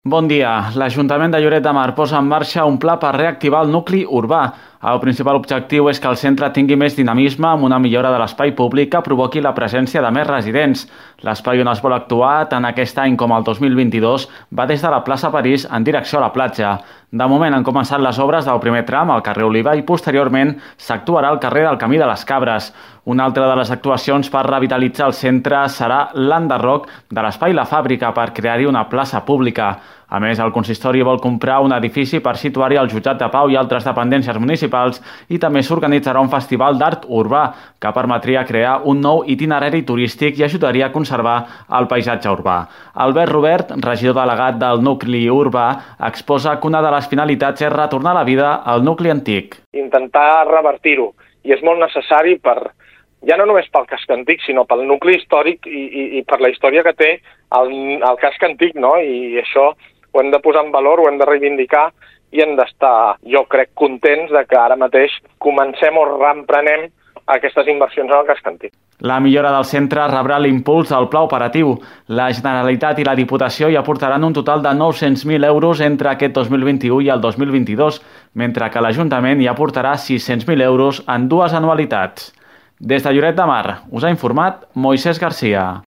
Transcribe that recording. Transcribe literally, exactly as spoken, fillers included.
Bon dia. L'Ajuntament de Lloret de Mar posa en marxa un pla per reactivar el nucli urbà. El principal objectiu és que el centre tingui més dinamisme amb una millora de l'espai públic que provoqui la presència de més residents. L'espai on es vol actuar, tant aquest any com el dos mil vint-i-dos, va des de la plaça París en direcció a la platja. De moment han començat les obres del primer tram al carrer Oliva i posteriorment s'actuarà al carrer del Camí de les Cabres. Una altra de les actuacions per revitalitzar el centre serà l'enderroc de l'espai La Fàbrica per crear-hi una plaça pública. A més, el consistori vol comprar un edifici per situar-hi el jutjat de pau i altres dependències municipals i també s'organitzarà un festival d'art urbà que permetria crear un nou itinerari turístic i ajudaria a conservar el paisatge urbà. Albert Robert, regidor delegat del nucli urbà, exposa que una de les finalitats és retornar a la vida al nucli antic. Intentar revertir-ho, i és molt necessari per, ja no només pel casc antic, sinó pel nucli històric i, i, i per la història que té el, el casc antic, no? I això ho hem de posar en valor, ho hem de reivindicar i hem d'estar, jo crec, contents de que ara mateix comencem o reemprenem aquestes inversions en el casc antic. La millora del centre rebrà l'impuls del pla operatiu. La Generalitat i la Diputació hi aportaran un total de nou-cents mil euros entre aquest dos mil vint-i-u i el dos mil vint-i-dos, mentre que l'Ajuntament hi aportarà sis-cents mil euros en dues anualitats. Des de Lloret de Mar us ha informat Moisés Garcia.